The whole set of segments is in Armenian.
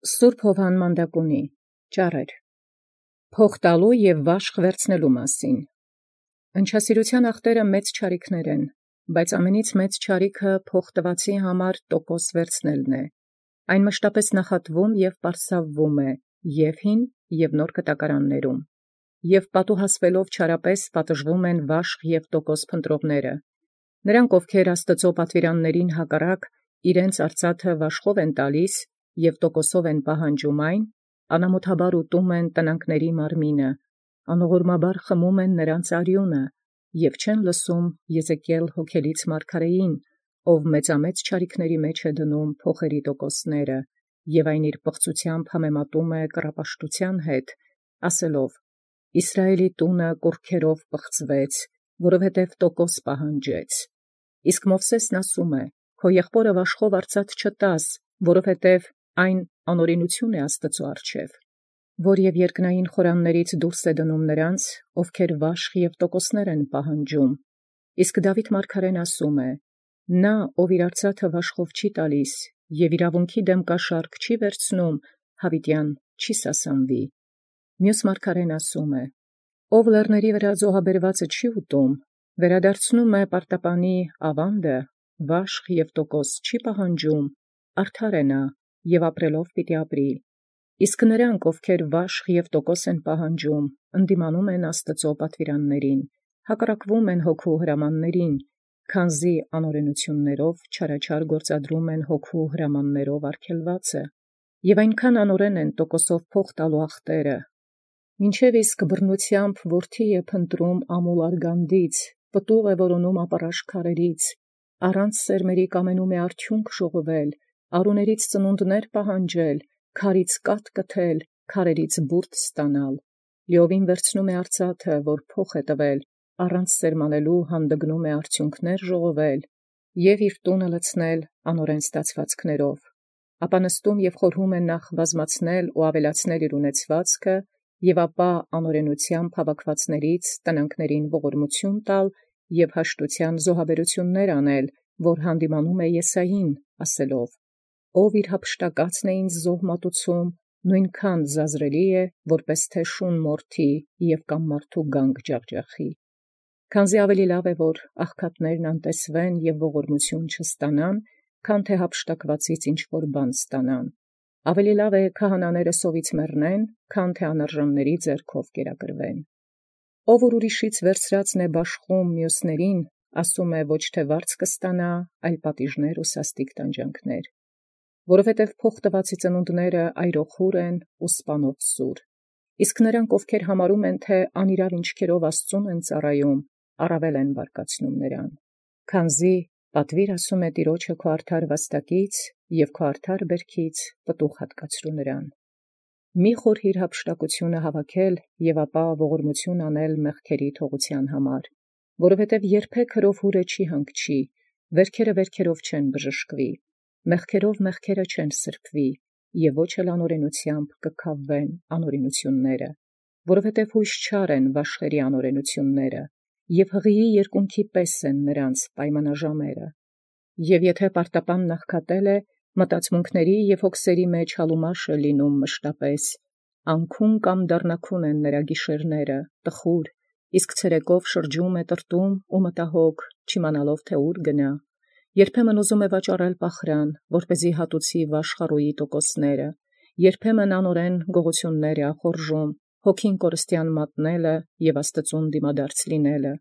Սուրբ Հովհան Մանդակունի ճառեր փոխ տալու և վաշխ վերցնելու մասին։ Ընչասիրության ախտերը մեծ չարիքներ են, բայց ամենից մեծ չարիքը փոխ տվածի համար տոկոս վերցնելն է։ Այն մշտապես նախատվում և պարսավվում է և հին և նոր կտակարաններում, և պատուհասվելով չարապես պատժվում են վաշխ և տոկոս փնտրողները։ Նրանք, ովքեր Աստծո պատվիրաններին հակառակ իրենց արծաթը վաշխով են տալիս և տոկոսով են պահանջում այն, անամոթաբար ուտում են տնանքների մարմինը, անողորմաբար խմում են նրանց արյունը, և չեն լսում Եզեկիել հոգելից մարգարեին, ով մեծամեծ չարիքների մեջ է դնում փոխերի տոկոսները, և այն իր պղծությամբ համեմատում է կռապաշտութեան հետ, ասելով. «Իսրայէլի տունը կուռքերով պղծվեց, որովհետև տոկոս պահանջեց»։ Իսկ Մովսէսն ասում է. «Քո եղբորը վաշխով արծաթ չտաս, որովհետև այն անօրենություն է Աստուծոյ առջև, որ և երկնային խորաններից դուրս է դնում նրանց, ովքեր վաշխ և տոկոսներ են պահանջում»։ Իսկ Դաւիթ մարգարեն ասում է. «Նա, ով իր արծաթը վաշխով չի տալիս և իրաւունքի դեմ կաշառք չի վերցնում, յաւիտեան չի սասանվի»։ Մյուս մարգարեն ասում է. «Ով լեռների վրա զոհաբերվածը չի ուտում, վերադարձնում է պարտապանի աւանդը, վաշխ և տոկոս չի պահանջում, արդար է նա և ապրելով պիտի ապրի»։ Իսկ նրանք, ովքեր վաշխ և տոկոս են պահանջում, ընդդիմանում են Աստուծո պատվիրաններին, հակառակվում են հոգու հրամանացն, քանզի անօրենութիւններով չարաչար գործադրում են հոգու հրամանացն արգելվածը, և այնքան անօրեն են տոկոսով փոխ տալու ախտերը, մինչև իսկ բռնութեամբ որդի է փնտրում ամուլ արգանդից, պտուղ է որոնում ապառաշ քարերից, առանց սերմերի կամենում է արդիունք ժողովել, արուներից ծնունդներ պահանջել, քարից կաթ կթել, քարերից բուրդ ստանալ, լիովին վերցնում է արծաթը, որ փոխ է տվել, առանց սերմանելու հանդգնում է արդյունքներ ժողովել, և իր տունը լցնել անօրեն ստացվածքներով, ապա նստում և խորհում է նախ բազմացնել ու ավելացնել իր ունեցվածքը, և ապա անօրենութեամբ հավաքվածներից տնանքներին ողորմություն տալ և հաշտութեան զոհաբերութիւններ անել, որ հանդիմանում է Եսային, ասելով. «Ով իր հափշտակածն է ինձ զոհ մատուցում, նոյնքան զազրելի է, որպէս թէ շուն մորթի և կամ մարդու գանգ ջախջախի»։ Քանզի ավելի լաւ է, որ աղքատներն անտեսվեն և ողորմություն չստանան, քան թէ հափշտակվածից ինչ որ բան ստանան. ավելի լաւ է քահանաները սովից մեռնեն, քան թէ անարժանների ձեռքով կերակրվեն։ Ով որ ուրիշից վերցրածն է բաշխում մյուսներին, ասում է ոչ թէ վարձ կստանա, այլ պատիժներ ու սաստիկ տանջանքներ։ Որովհետև փոխ տվածի ծնունդները այրոխուռ են ու սպանով սուր։ Իսկ նրանք, ովքեր համարում են, թէ անիրաւ ինչքերով Աստուծոյ են ծառայում, առավել են բարկացնում նրան։ Քանզի պատվիր ասում է Տեառնէ քո արդար վաստակից և քո արդար բերքից պտուղ հատկացրու նրան։ Մի խորհիր հափշտակութիւնը հավաքել և ապա ողորմություն անել մեղքերի թողութեան համար, որովհետև երբեք հրով հուրը չի հանգչի, վերքերը վերքերով չեն բժշկվի, մեղքերով մեղքերը չեն սրբվի, և ոչ էլ անօրենութեամբ կքավվեն անօրենութիւնները, որովհետև յույս չար են վաշխերի անօրենութիւնները, և հղիի երկունքի պես են նրանց պայմանաժամերը։ Եւ եթէ պարտապանն աղքատել է, մտածմունքների և հոգսերի մեջ հալումաշ է լինում մշտապես, անքուն կամ դառնաքուն են նրա գիշերները, տխուր, իսկ ցերեկով շրջում է տրտում ու մտահոգ, չիմանալով թէ ուր գնա, երբեմն ուզում է վաճառել պախրան, որպեսզի հատուցի վաշխառոյի տոկոսները, երբեմն անօրեն գողութիւններ է ախորժում, հոգին կորստեան մատնելը և Աստուծուն դիմադարձ լինելը,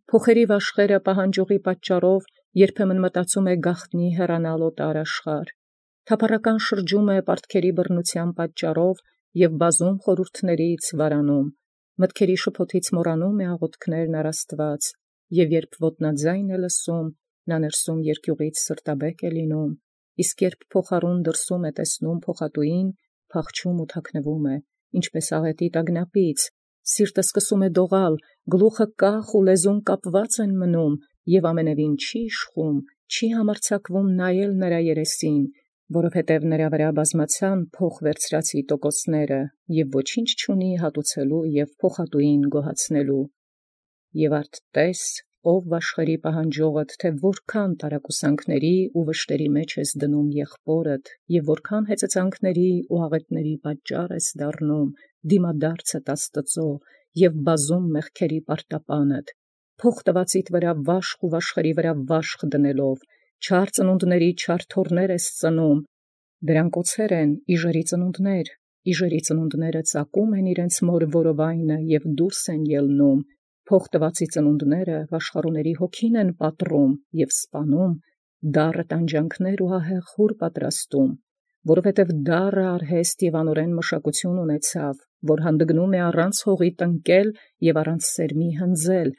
փոխերի վաշխերը պահանջողի պատճառով երբեմն մտածում է գաղտնի հեռանալ օտար աշխարհ, թափառական շրջում է պարտքերի բռնութեան պատճառով և բազում խորհուրդներից վարանում, մտքերի շփոթից մոռանում է աղոթքներն առ Աստուած, և երբ ոտնաձայն է լսում, նա ներսում երկյուղից սրտաբեկ է լինում, իսկ երբ փոխարուն դրսում է տեսնում փոխատուին, փախչում ու թաքնվում է, ինչպես աղետի տագնապից, սիրտը սկսում է դողալ, գլուխը կախ ու լեզուն կապված են մնում, և ամենևին չի իշխում, չի համարձակվում նայել նրա երեսին, որովհետև նրա վրա բազմացան փոխ վերցրածի տոկոսները, և ոչինչ չունի հատուցելու և փոխատուին գոհացնելու։ Եւ արդ տես, ով վաշխերի պահանջողդ, թե որքան տարակուսանքների ու վշտերի մեջ ես դնում եղբորդ, եւ որքան հեծեծանքների ու աղետների պատճառ ես դառնում, դիմադարձդ Աստծո եւ բազում մեղքերի պարտապանդ, փոխ տվածիդ վրա վաշխ ու վաշխերի վրա վաշխ դնելով, չար ծնունդների չար թոռներ ես ծնում, դրանք օցեր են իժերի ծնունդներ, իժերի ծնունդները ծակում են իրենց մոր որովայնը եւ դուրս են ելնում, փոխ տվածի ծնունդները վաշխառուների հոգին են պատռում եւ սպանում, դառը տանջանքներ ու ահեղ խուր պատրաստում, որովհետև դառը արհեստ եւ անօրեն մշակություն ունեցավ, որ հանդգնում է առանց հողի տնկել եւ առանց սերմի հնձել,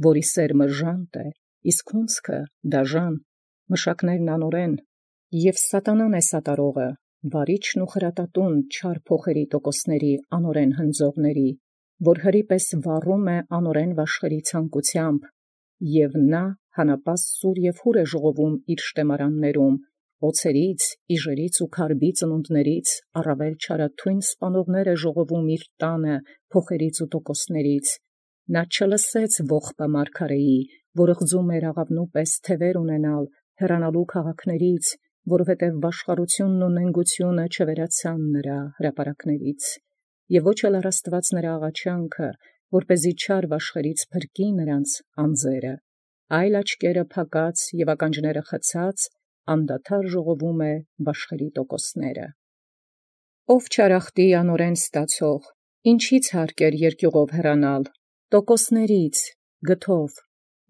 որի սերմը ժանտ է, իսկ հունձքը դաժան, մշակներն անօրեն, եւ սատանան է սատարողը, վարիչն ու խրատատուն չար փոխերի տոկոսների անօրեն հնձողների, որ հրիպես վառում է անօրեն վաշխերի ցանկությամբ, եւ նա հանապաստ սուր եւ հուր է ժողովում իր շտեմարաններում, օցերից, իժերից ու քարբի ծնունդներից առավել չարաթույն սպանողներ է ժողովում իր տանը փոխերից ու տոկոսներից, նա չլսեց ողբը մարգարեի, որ ղձում էր աղավնու պես թևեր ունենալ, հեռանալու քաղաքներից, որովհետև վաշխառությունն ու նենգությունը չվերացան նրա հրապարակներից, եւ ոչ էլ առաստված նրա աղաչանքը, որպեսզի չար վաշխերից փրկի նրանց անձերը, այլ աչքերը փակած եւ ականջները խցած, անդադար ժողովում է վաշխերի տոկոսները։ Ով չարախտի անօրեն ստացող, ինչից հարկեր երկյուղով հեռանալ, տոկոսներից, գթով,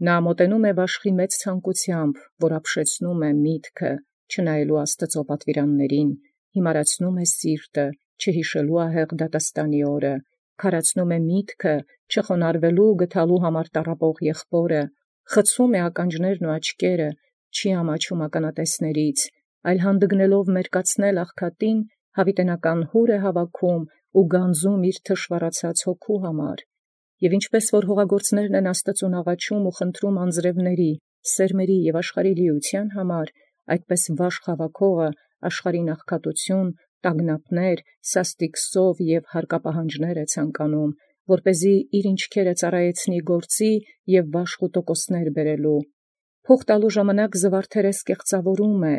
նա մոտենում է վաշխի մեծ ցանկությամբ, որ ապշեցնում է միտքը, չնայելու Աստծո պատվիրաններին, հիմարացնում է սիրտը, չհիշելու ահեղ դատաստանի օրը, քարացնում է միտքը, չխոնարհվելու գթալու համար տառապող եղբորը, խցում է ականջներն ու աչքերը, չի ամաչում ականատեսներից, այլ հանդգնելով մերկացնել աղքատին, հավիտենական հուր է հավաքում ու գանձում իր թշվառացած հոգու համար, եւ ինչպես որ հողագործներն են Աստծուն աղաչում ու խնդրում անձրևների, սերմերի եւ աշխարհի լիության համար, այդպես վաշխ հավաքողը աշխարհին աղքատություն, տագնապներ, սաստիկ սով եւ հարկապահանջներ է ցանկանում, որպեսզի իր ինչքերը ծառայեցնի գործի եւ վաշխ ու տոկոսներ բերելու։ Փոխ տալու ժամանակ զվարթերես կեղծավորում է,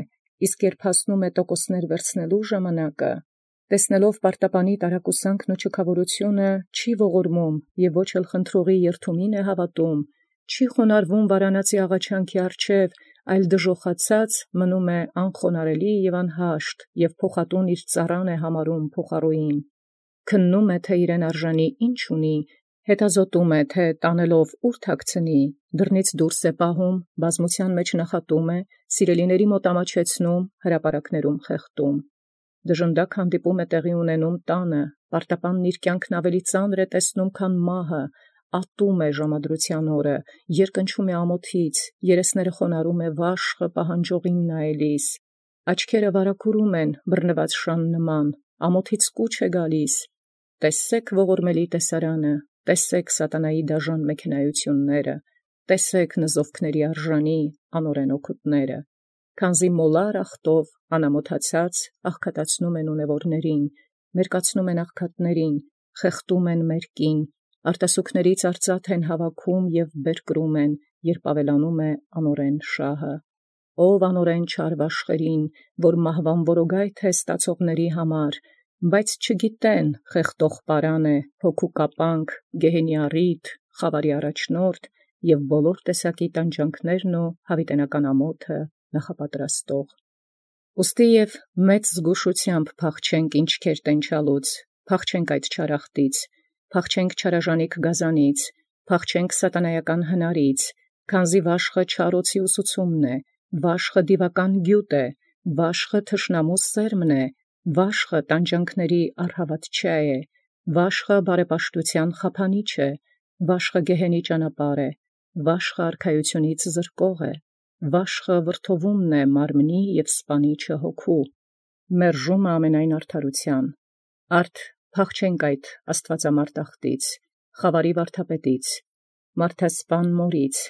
իսկ երբ հասնում է տոկոսներ վերցնելու ժամանակը, տեսնելով պարտապանի տարակուսանքն ու չքավորությունը, չի ողորմում եւ ոչ էլ խնդրողի երթումին է հավատում, չի խոնարհվում վարանացի աղաչանքի առջև, այլ դժոխացած մնում է անխոնարելի եւ անհաշտ եւ փոխատուն իր ծառան է համարում փոխառուին, քննում է թե իրեն արժանի ինչ ունի, հետազոտում է թե տանելով ուր թաքցնի, դռնից դուրս է պահում, բազմության մեջ նախատում է, սիրելիների մոտ ամաչեցնում, հրապարակներում խեղդում, դժնդակ հանդիպում է տեղի ունենում տանը, պարտապանն իր կյանքն ավելի ծանր է տեսնում, քան մահը, ատում է ժամադրության օրը, երկնչում է ամոթից, երեսները խոնարհում է վաշխը պահանջողին նայելիս, աչքերը վարակուրում են բռնված շան նման, ամոթից կուչ է գալիս, տեսեք ողորմելի տեսարանը, տեսեք սատանայի դաժան մեքենայությունները, տեսեք նզովքների արժանի անօրեն օգուտները, քանզի մոլար ախտով անամոթացած աղքատացնում են ունևորներին, մերկացնում են աղքատներին, խեղդում են մերկին, արտասուքներից արծաթ են հավաքում եւ բերկրում են, երբ ավելանում է անօրեն շահը, ով անօրեն չար վաշխերին, որ մահվան որոգայթ է ստացողների համար, բայց չգիտեն խեղդող պարան է, հոգու կապանք, գեհենի առիթ, խավարի առաջնորդ եւ բոլոր տեսակի տանջանքներն ու հավիտենական ամոթը նախապատրաստող։ Ուստի եւ մեծ զգուշությամբ փախչենք ինչքեր տենչալուց, փախչենք այդ չարախտից, փախչենք չարաժանիք գազանից, փախչենք սատանայական հնարից, քանզի վաշխը չարոցի ուսուցումն է, վաշխը դիվական գյուտ է, վաշխը թշնամու սերմն է, վաշխը տանջանքների առհավատչա է, վաշխը բարեպաշտության խափանիչ է, վաշխը գեհենի ճանապարհ է, վաշխը արքայությունից զրկող է, վաշխը վրթովումն է մարմնի եւ սպանիչը հոգու, մերժումը ամենայն արդարության, արդ փախչենք այդ աստվածամարդ ախտից, խավարի վարդապետից, մարդասպան մորից,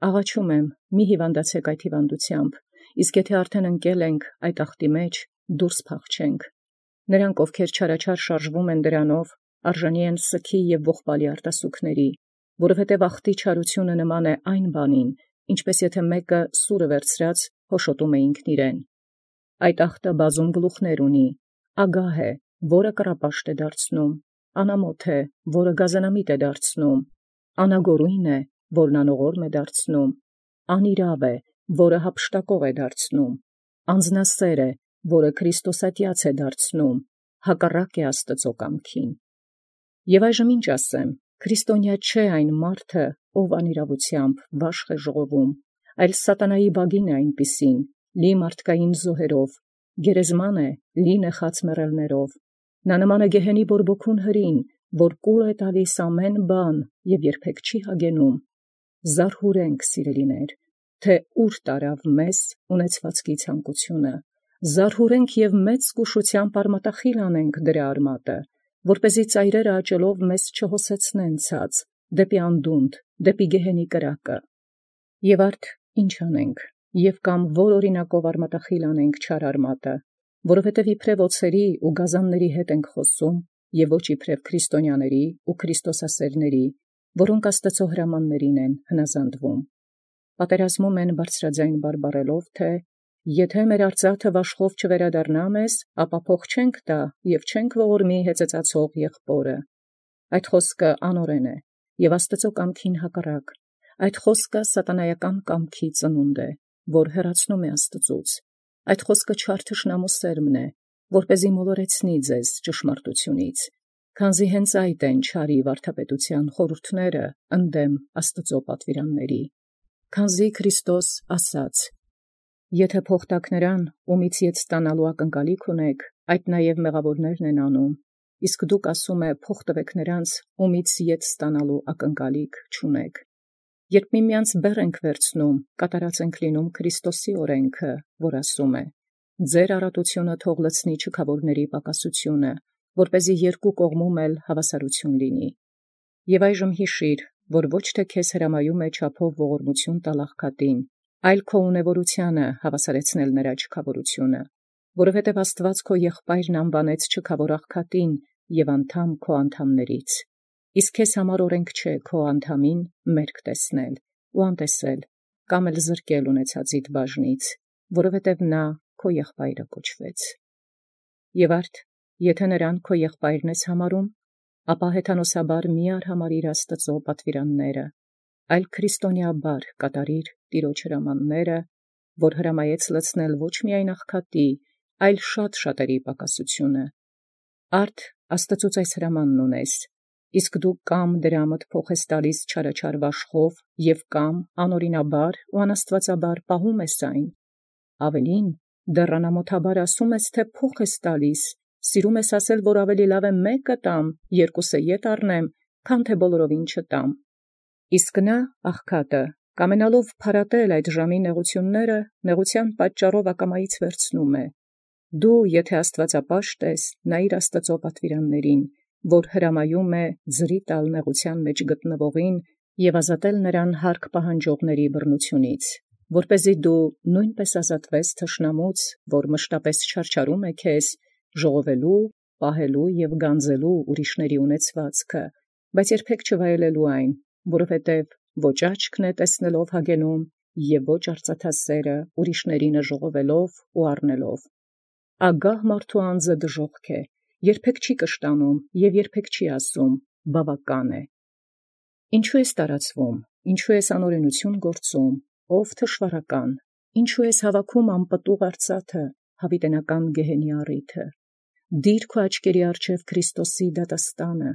աղաչում եմ, մի հիվանդացեք այդ հիվանդությամբ, իսկ եթե արդեն ընկել ենք այդ ախտի մեջ, դուրս փախչենք, նրանք ովքեր չարաչար շարժվում են դրանով, արժանի են սքի եւ ողբալի արտասուքների, որովհետև աղտի չարությունը նման է այն բանին, ինչպես եթե մեկը սուրը վերցրած հոշոտում է ինքն իրեն։ Այդ աղտը բազում գլուխներ ունի, ագահ է, որը կռապաշտ է դարձնում, անամոթ է, որը գազանամիտ է դարձնում, անագորույն է, որն անողորմ է դարձնում, անիրավ է, որը հափշտակող է դարձնում, անձնասեր է, որը Քրիստոսատյաց է դարձնում, հակառակ է Աստծո կամքին։ Եվ այժմ ինչ ասեմ, քրիստոնյա չէ այն մարդը, ով անիրավությամբ վաշխ է ժողովում, այլ սատանայի բագին է այնպիսին, լի մարդկային զոհերով, գերեզման է, լի նեխած մեռելներով, նա նման է գեհենի բորբոքուն հրին, որ կուլ է տալիս ամեն բան և երբեք չի հագենում։ Զարհուրենք, սիրելիներ, թե ուր տարավ մեզ ունեցվածքի ցանկությունը, զարհուրենք և մեծ զգուշությամբ արմատախիլ անենք դրա արմատը, որպեսզի ծայրերը աճելով մեզ չհոսեցնեն ցած, դեպի անդունդ, դեպի գեհենի կրակը։ Եվ արդ ինչ անենք, և կամ որ օրինակով արմատախիլ անենք չար արմատը, որովհետև իբրև օձերի ու գազանների հետ ենք խոսում, և ոչ իբրև քրիստոնյաների ու քրիստոսասերների, որոնք Աստծո հրամաններին են հնազանդվում։ Պատերազմում են բարձրաձայն բարբառելով, թե եթե մեր արծաթը վաշխով չվերադառնա մեզ, ապա փող չենք տա և չենք ողորմի հեծեծացող եղբորը։ Այդ խոսքը անօրեն է և Աստծո կամքին հակառակ։ Այդ խոսքը սատանայական կամքի ծնունդ է, որ հեռացնում է Աստծուց։ Այդ խոսքը չար թշնամու սերմն է, որպեսզի մոլորեցնի ձեզ ճշմարտությունից, քանզի հենց այդ են չարի վարդապետության խորհուրդները ընդդեմ Աստծո պատվիրանների։ Քանզի Քրիստոս ասաց. «Եթե փող տաք նրան, ումից ետ ստանալու ակնկալիք ունեք, այդ նաև մեղավորներն են անում, իսկ դուք ասում եք փող տվեք նրանց, ումից ետ ստանալու ակնկալիք չունեք»։ Երբ միմյանց բեռ ենք վերցնում, կատարած ենք լինում Քրիստոսի օրենքը, որ ասում է. «Ձեր առատությունը թող լցնի չքավորների պակասությունը, որպեսզի երկու կողմում էլ հավասարություն լինի»։ Եվ այժմ հիշիր, որ ոչ թե քեզ հրամայում է չափով ողորմություն տալ աղքատին, այլ քո ունևորությանը հավասարեցնել նրա չքավորությունը, որովհետև Աստված քո եղբայրն անվանեց չքավոր աղքատին և անդամ քո անդամներից։ Իսկ քեզ համար օրենք չէ քո անդամին մերկ տեսնել ու անտեսել, կամ էլ զրկել ունեցածիդ բաժնից, որովհետև նա քո եղբայրը կոչվեց։ Եվ արդ, եթե նրան քո եղբայրն ես համարում, ապա հեթանոսաբար մի արհամարիր Աստծո պատվիրանները, այլ քրիստոնեաբար կատարիր Տիրոջ հրամանները, որ հրամայեց լցնել ոչ միայն աղքատի, այլ շատ շատերի պակասությունը։ Արդ Աստծուց այս հրամանն ունես, իսկ դու կամ դրամդ փոխ ես տալիս չարաչար վաշխով և կամ անօրինաբար ու անաստվածաբար պահում ես այն։ Ավելին, դեռ անամոթաբար ասում ես, թե փոխ ես տալիս, սիրում ես ասել, որ ավելի լավ է մեկը տամ, երկուսը ետ առնեմ, քան թե բոլորովին չտամ։ Իսկ նա, աղքատը, կամենալով փարատել այդ ժամի նեղությունները, նեղության պատճառով ակամայից վերցնում է։ Դու, եթե աստվածապաշտ ես, նայիր Աստծո պատվիրաններին, որ հրամայում է ձրի տալ նեղության մեջ գտնվողին և ազատել նրան հարկ պահանջողների բռնությունից, որպեսզի դու նույնպես ազատվես թշնամուց, որ մշտապես չարչարում է քեզ, ժողովելու, պահելու և գանձելու ուրիշների ունեցվածքը, բայց երբեք չվայելելու այն, որովհետև ոչ աչքն է տեսնելով հագենում և ոչ արծաթասերը ուրիշներինը ժողովելով ու առնելով։ Ագահ մարդու անձը դժոխք է, երբեք չի կշտանում և երբեք չի ասում բավական է։ Ինչու ես տարածվում, ինչու ես անօրենություն գործում, ով թշվառական, ինչու ես հավաքում անպտուղ արծաթը, հավիտենական գեհենի առիթը։ Դիր քո աչքերի առջև Քրիստոսի դատաստանը։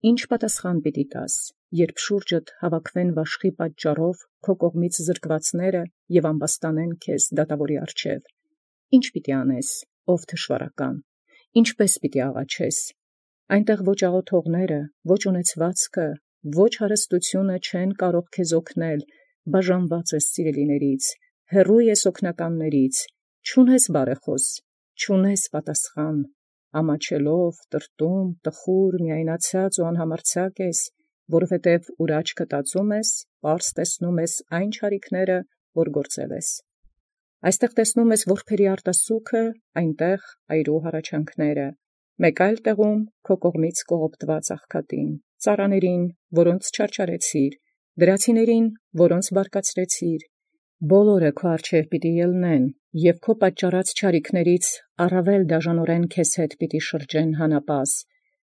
Ինչ պատասխան պիտի տաս, երբ շուրջդ հավաքվեն վաշխի պատճառով քո կողմից զրկվածները և ամբաստանեն քեզ դատավորի առջև։ Ինչ պիտի անես, ով թշվառական, ինչպես պիտի աղաչես։ Այնտեղ ոչ աղոթողները, ոչ ունեցվածքը, ոչ հարստությունը չեն կարող քեզ օգնել, բաժանված ես սիրելիներից, հեռու ես օգնականներից, չունես բարեխոս, չունես պատասխան, ամաչելով, տրտում, տխուր, միայնացած ու անհամարձակ ես, որովհետև ուր աչքը տածում ես, պարզ տեսնում ես այն չարիքները, որ գործել ես։ Այստեղ տեսնում ես որբերի արտասուքը, այնտեղ այրու հառաչանքները, մեկ այլ տեղում քո կողմից կողոպտված աղքատին, ծառաներին, որոնց չարչարեցիր, դրացիներին, որոնց բարկացրեցիր, բոլորը քո առջև պիտի ելնեն, և քո պատճառած չարիքներից առավել դաժանորեն քեզ հետ պիտի շրջեն հանապաս,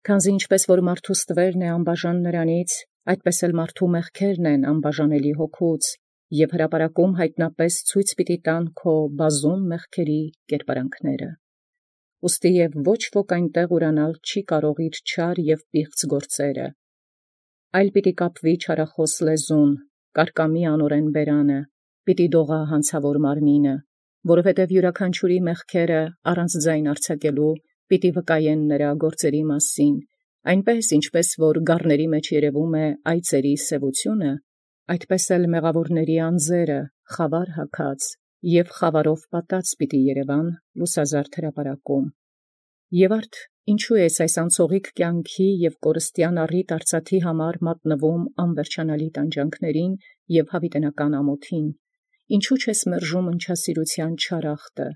քանզի ինչպես որ մարդու ստվերն է անբաժան նրանից, այդպես էլ մարդու մեղքերն են անբաժանելի հոգուց, և հրապարակում հայտնապես ցույց պիտի տան քո բազում մեղքերի կերպարանքները։ Ուստի և ոչ ոք այնտեղ ուրանալ չի կարող իր չար և պիղծ գործերը, այլ պիտի կապվի չարախոս լեզուն, կարկամի անօրեն բերանը, պիտի դողա հանցավոր մարմինը, որովհետև յուրաքանչյուրի մեղքերը առանց ձայն արձակելու պիտի վկայեն նրա գործերի մասին, այնպես ինչպես որ գառների մեջ երևում է այծերի սևությունը, այդպես էլ մեղավորների անձերը խավար հագած և խավարով պատած պիտի երևան լուսազարդ հրապարակում։ Եվ արդ ինչու ես այս անցողիկ կյանքի և կորստյան առիթ արծաթի համար մատնվում անվերջանալի տանջանքներին և հավիտենական ամոթին, ինչու չես մերժում ընչասիրության չարախտը,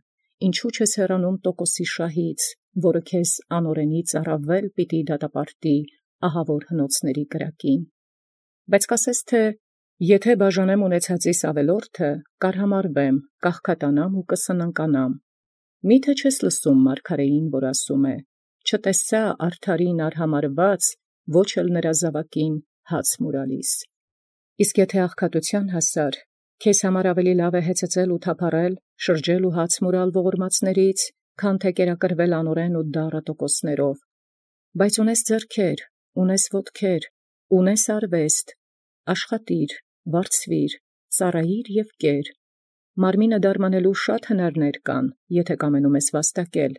ինչու չես հեռանում տոկոսի շահից, որը քեզ անօրենից առավել պիտի դատապարտի ահավոր հնոցների կրակին։ Բայց կասես թե եթե բաժանեմ ունեցածիս ավելորդը, կարհամարվեմ, կաղքատանամ ու կսնանկանամ։ Միթե չես լսում մարգարեին, որ ասում է. չտեսա արդարին արհամարված, ոչ էլ նրա զավակին հաց մուրալիս։ Իսկ եթե աղքատության հասար, քեզ համար ավելի լավ է հեծծել ու թափառել, շրջել ու հաց մուրալ ողորմածներից, քան թե կերակրվել անօրեն ու դառը տոկոսներով։ Բայց ունես ձեռքեր, ունես ոտքեր, ունես արվեստ, աշխատիր, վարձվիր, ծառայիր և կեր։ Մարմինը դարմանելու շատ հնարներ կան, եթե կամենում ես վաստակել,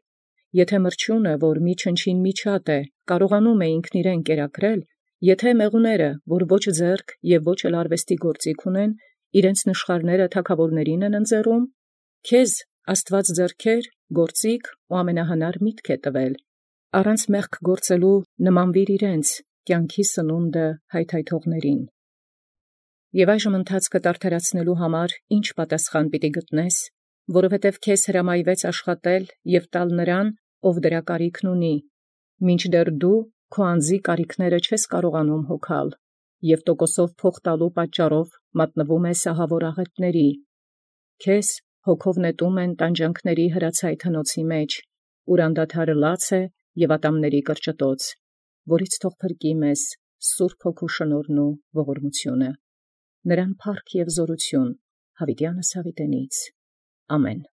եթե մրջյունը, որ մի չնչին միջատ է, կարողանում է ինքն իրեն կերակրել, եթե մեղուները, որ ոչ ձեռք և ոչ էլ արվեստի գործիք ունեն, իրենց նշխարները թագավորներին են ընձեռում, քեզ Աստված ձեռքեր, գործիք ու ամենահնար միտք է տվել, առանց մեղք գործելու նմանվիր իրենց կյանքի սնունդը հայթայթողներին։ Եվ այժմ ընթացքդ արդարացնելու համար ինչ պատասխան պիտի գտնես, որովհետև քեզ հրամայվեց աշխատել և տալ նրան, ով դրա կարիքն ունի, մինչդեռ դու քո անձի կարիքները չես կարողանում հոգալ, և տոկոսով փող տալու պատճառով մատնվում ես ահավոր աղետների, քեզ հոգով նետում են տանջանքների հրացայտ հնոցի մեջ, ուր անդադար լաց է և ատամների կրճտոց, որից թող փրկի մեզ Սուրբ Հոգու շնորհն ու ողորմությունը։ Նրան փառք և զորություն հավիտյանս հավիտենից։ Ամեն։